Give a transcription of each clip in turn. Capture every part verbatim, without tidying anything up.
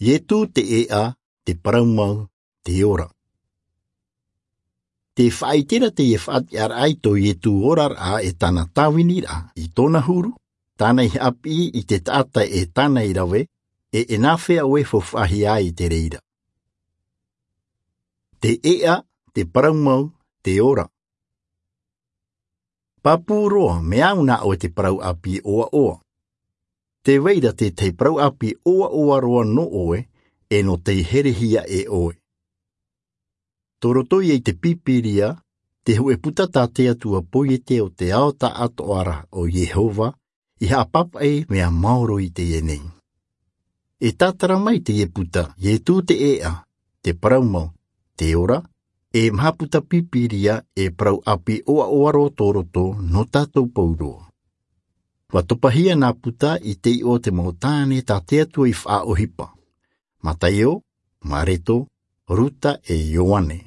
Ietu te ʻēʻa, te parau mau, te ora. Te faʻaitera teie faʻatiʻaraʻa i tō Ietu oraraʻa e tāna tāviniraʻa i tōna huru, tāna i haʻapiʻi i te taʻata e tāna i rave, e e nāfea ʻoe e faufaʻahia ai i te reira. Te ʻēʻa, te parau mau, te ora. Pāpū roa, mea au nā ʻoe te parau ʻāpī ʻoaʻoa. Te vai ra tētahi parau ʻāpī ʻoaʻoa roa nō ʻoe, e nō tei herehia e ʻoe. Tō roto ia i te Pīpīria, te hōʻē puta tā te Atua poiete o te ao taʻatoʻa ra ʻo Iehova, i haʻapāpaʻi mea maoro i teie nei. E tātara mai teie puta, Ietu te ʻēʻa, te parau mau, te ora, e maha puta Pīpīria e parau ʻāpī ʻoaʻoa roa tō roto nō tātou pauroa. ʻUa topahia nā puta i te iʻoa o te mau tāne tā te Atua i faʻaʻohipa. Mataio, Mareto, Ruta e Ioane.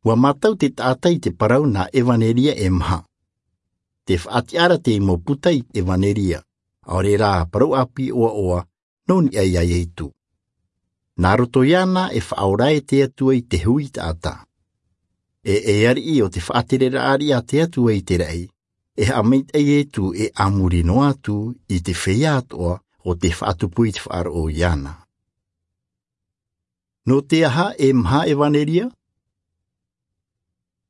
ʻUa mātau te taʻata i te parau nā ʻEvaneria e maha. Te faʻatiʻaraʻa teie mau puta i ʻEvaneria, ʻaore rā parau ʻāpī ʻoaʻoa, nō niʻa iā Ietu. Nā roto iāna e faʻaora ai te Atua i te hui taʻata. E e ariʻi o te faʻatereraʻa riʻi a te Atua i te raʻi, e haʻamaitaʻi Ietu e a muri noa atu i te feiā atoʻa o te faʻatupu i te faʻaroʻo iāna. Nō te aha e maha ʻEvaneria?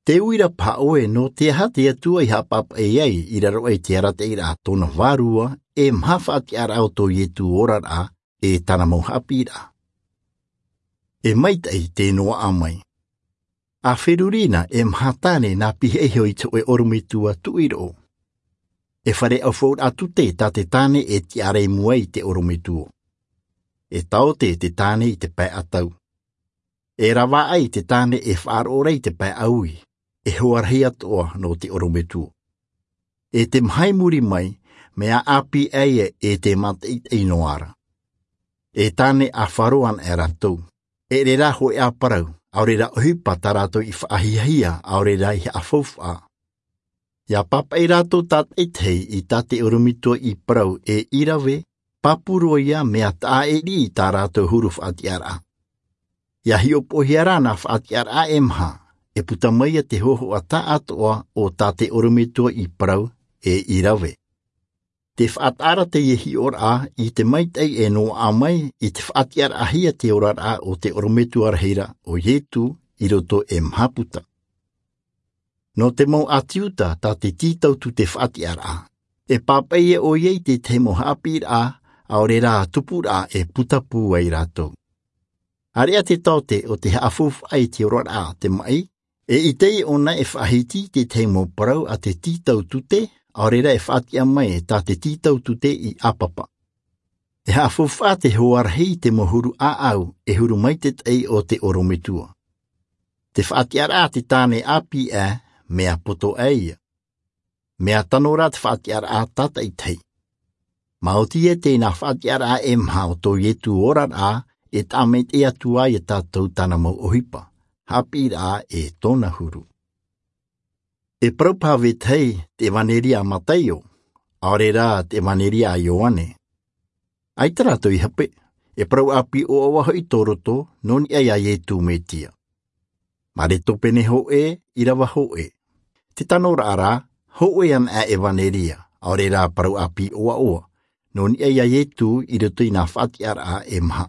Te uira paha ʻoe, nō te aha te Atua i haʻapāpaʻi ai i raro aʻe i te arataʻiraʻa tōna vārua e maha faʻatiʻaraʻa o tō Ietu oraraʻa e tāna mau haʻapiʻiraʻa. E maitaʻi te noaʻa mai. A feruri na e maha tāne nā pihaʻi iho i te hōʻē ʻorometua tuʻi roʻo. E fare ʻaufauraʻa tute tā te tāne e tiʻa ra i mua i te ʻorometua. E taote te tāne i te pae ʻatau. E ravaʻai te tāne e faʻaroʻo ra i te pae ʻaui, e hoa rahi atoʻa nō te ʻorometua. E te maha i muri mai, mea ʻāpī ʻē e te mātaʻitaʻi noa ra. E tāne ʻāfa roa ana e rātou. E ʻere rā hōʻē ʻāparau, ʻaore rā ʻohipa tā rātou i faʻahiahia, ʻaore rā i haʻafaufaʻa. ʻIa pāpaʻi rātou tātaʻitahi i tā te ʻorometua i parau e i rave, pāpū roa ia mea taʻa e riʻi i tā rātou huru faʻatiʻaraʻa. ʻIa hiʻopoʻohia rā nā faʻatiʻaraʻa e maha, e puta mai ia te hōhoʻa taʻatoʻa o tā te ʻorometua i parau e i rave. Te faʻataʻa ra teie hiʻoraʻa i te maitaʻi e noaʻa mai i te faʻatiʻaraʻahia te oraraʻa o te ʻorometua rahi ra ʻo Ietu i roto e maha puta. Nō te mau ʻĀti Iuta tā te tītau tute faʻatiʻaraʻa, e pāpaʻi ia ʻoia i te tahi mau haʻapiʻiraʻa, ʻaore rā tupuraʻa e puta pū ai rātou. ʻAreʻa te taote o te haʻafaufaʻa i te oraraʻa a te maʻi, e ʻite ʻōna e faʻahiti i te tahi mau parau a te tītau tute, ʻaore rā e faʻatiʻa mai tā te tītau tute i ʻāpapa. E haʻafaufaʻa te hoa rahi i te mau huru ʻāʻau e huru maitaʻi o te ʻorometua. Te faʻatiʻaraʻa a te tāne ʻāpī ʻē, mea poto ʻē ia. Mea tano rā te faʻatiʻaraʻa tātaʻitahi. Maoti e tēnā faʻatiʻaraʻa e maha o tō Ietu oraraʻa e taʻa maitaʻi atu ai ia tātou tāna mau ʻohipa, haʻapiʻiraʻa e tōna huru. E parau paha vetahi te ʻEvaneria a Mataio, ʻaore rā te ʻEvaneria a Ioane. ʻAita rātou i hape, e parau ʻāpī ʻoaʻoa hoʻi tō roto, nō niʻa iā Ietu Metia. Mareto pene hōʻē, ʻīrava hōʻē. Te tanoraʻa rā, hōʻē ana ʻā ʻEvaneria, ʻaore rā parau ʻāpī ʻoaʻoa, nō niʻa iā Ietu i roto i nā faʻatiʻaraʻa e maha.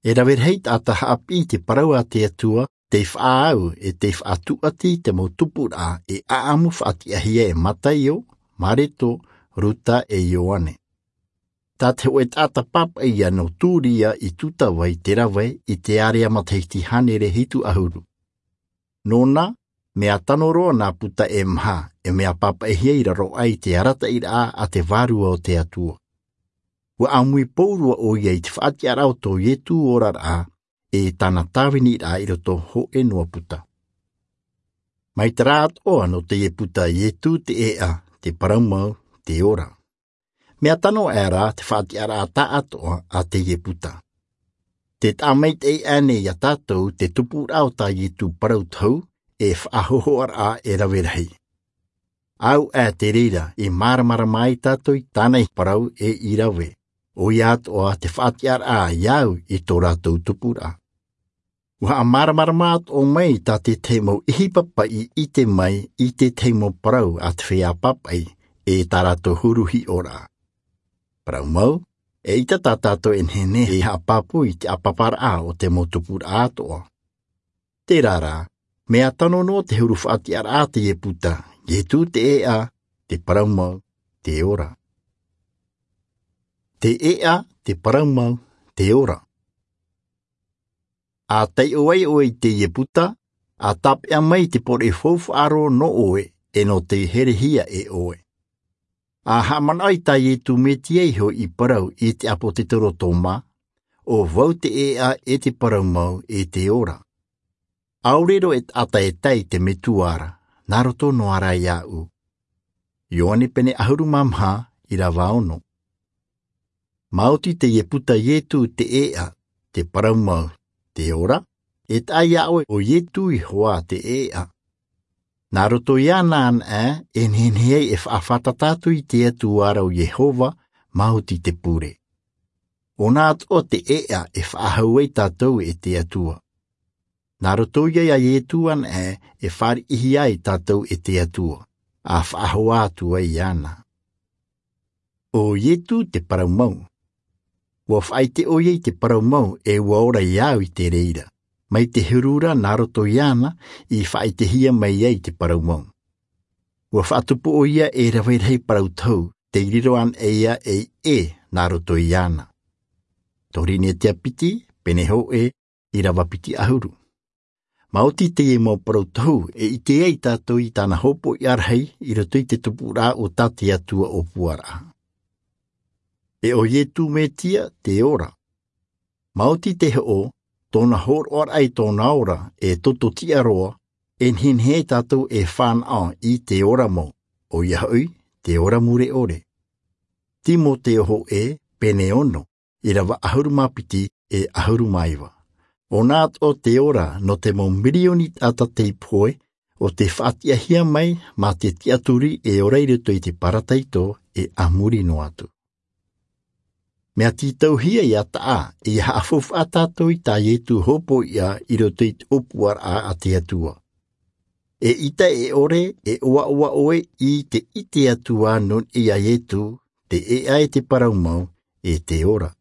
E rave rahi taʻata haʻapiʻi i te parau a te Atua, tei faʻaau e tei faʻatūʻati i te mau tupuraʻa e ʻaʻamu faʻatiʻahia e Mataio, Mareto, Ruta e Ioane. Tā te hōʻē taʻata pāpaʻi ia nō Tūria i Tūtava i te rave i te ārea matahiti hānere hitu ʻahuru. Nōna, mea tano roa nā puta e maha, e mea pāpaʻihia i raro aʻe i te arataʻiraʻa a te Vārua o te Atua. ʻUa ʻāmui pōrua ʻoia i te faʻatiʻaraʻa o tō Ietu oraraʻa, e tāna tāviniraʻa i roto hōʻē noa puta. Mai te reira atoʻa nō teie puta Ietu te ʻēʻa, te parau mau, te ora. Mea tano aʻera te faʻatiʻaraʻa taʻatoʻa a teie puta. Te taʻa maitaʻi aʻe nei iā tātou te tupuraʻa o tā Ietu parau tohu, e faʻahōhoʻaraʻa e rave rahi. Au aʻe te reira i māramarama ai tātou i tāna i parau e i rave. ʻoia atoʻa te faʻatiʻaraʻa iāʻu i tō rātou tupuraʻa. Ua haʻamāramarama atoʻa mai tā te tahi mau ʻihi papaʻi i ʻite mai i te tahi mau parau a te feiā papaʻi e tā rātou huru hiʻoraʻa. Parau mau, eʻita tā tātou e nehenehe e haʻapāpū i te ʻāpaparaʻa o te mau tupuraʻa atoʻa. Tērā rā, mea tano noa te huru faʻatiʻaraʻa a te ieputa, ietu te ʻēʻa, te parau mau, te ora. Te ʻēʻa, te parau mau, te ora. A taiʻo ai ʻoe i te ieputa, a tāpeʻa mai i te pōreʻi faufaʻa roa nō ʻoe e nō te herehia e ʻoe. A haʻamanaʻo i tā iesu mesia iho i parau i te ʻāpōsetolo tōma, ʻo vau te ʻēʻa e te parau mau e te ora. ʻAore roa e taʻata e tae i te metua ra, nā roto noa rā iāʻu. Ioane pene ʻahuru mā maha, ʻirava ono. Māoti te ieputa iesu te ʻēʻa, te parau mau, te ora, e taʻa iā ʻoe ʻo iesu iho ā te ʻēʻa. Nā roto iāna anaʻe e nehenehe ai e faʻafātata atu i te atua ra ʻo iehova, māoti te pure. ʻOna atoʻa te ʻēʻa e faʻahou ai tātou e te atua. Nā roto ia iā iesu anaʻe e fāriʻihia ai tātou e te atua, a faʻahoa atu ai iāna. ʻO iesu te parau mau. Ua faʻaʻite ʻoia i te parau mau e ua ora iāʻu i te reira, mai te huru ra nā roto iāna i faʻaʻitehia mai ai te parau mau. Ua faʻatupu ʻoia e rave rahi parau tohu, tei riro anaʻe ia ei ʻē nā roto iāna. Korinetia piti, pene hōʻē, ʻirava piti ʻahuru. Māoti teie mau parau tohu e ʻite ai tātou i tāna hōpoiʻa rahi i roto i te tupuraʻa o tā te atua ʻōpuaraʻa. E ʻo iesu mesia te ora. Māoti te hoʻo, tōna hōroʻaraʻa i tōna ora e toto tiʻa roa, e nehenehe ai tātou e fānaʻo i te ora mau, ʻoia hoʻi te ora mure ʻore. Timoteo hōʻē, pene ono, ʻirava ʻahuru mā piti e ʻahuru mā iva. ʻOna atoʻa te ora nō te mau mirioni taʻata tei pohe, ʻo tei faʻatiʻahia mai mā te tiʻaturi e ora i roto i te parataito e a muri noa atu. Mea tītauhia ia taʻa, ia haʻafaufaʻa tātou i tā iesu hōpoiʻa i roto i te ʻōpuaraʻa a te atua. Eʻita e ʻore e ʻoaʻoa ʻoe i te ʻite atu ā nō niʻa iā iesu, te ʻēʻa e te parau mau, e te ora.